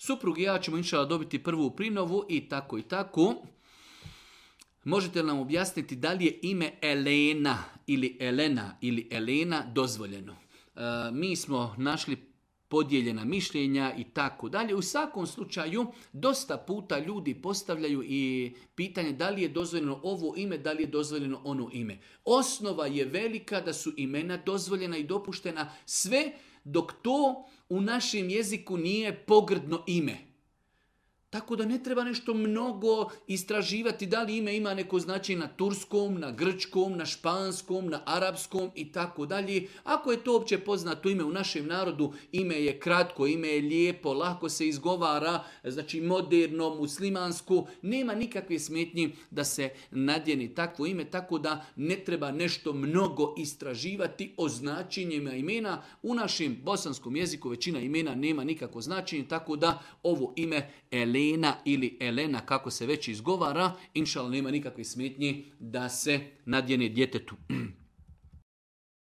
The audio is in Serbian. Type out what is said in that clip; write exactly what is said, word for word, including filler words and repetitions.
Suprug i ja ćemo inšala dobiti prvu prinovu i tako i tako. Možete li nam objasniti da li je ime Elena ili Elena ili Elena dozvoljeno? E, mi smo našli podijeljena mišljenja i tako dalje. U svakom slučaju, dosta puta ljudi postavljaju i pitanje da li je dozvoljeno ovo ime, da li je dozvoljeno ono ime. Osnova je velika da su imena dozvoljena i dopuštena sve dok to u našem jeziku nije pogrdno ime. Tako da ne treba nešto mnogo istraživati da li ime ima neko značenje na turskom, na grčkom, na španskom, na arapskom i tako dalje. Ako je to opće poznato ime u našem narodu, ime je kratko, ime je lijepo, lako se izgovara, znači moderno, muslimansko, nema nikakve smetnji da se nadjeni takvo ime, tako da ne treba nešto mnogo istraživati o značenjima imena. U našem bosanskom jeziku većina imena nema nikakvo značenje, tako da ovo ime Elena ili Elena, kako se već izgovara, inšallah nema nikakve smetnje da se nadjene djetetu.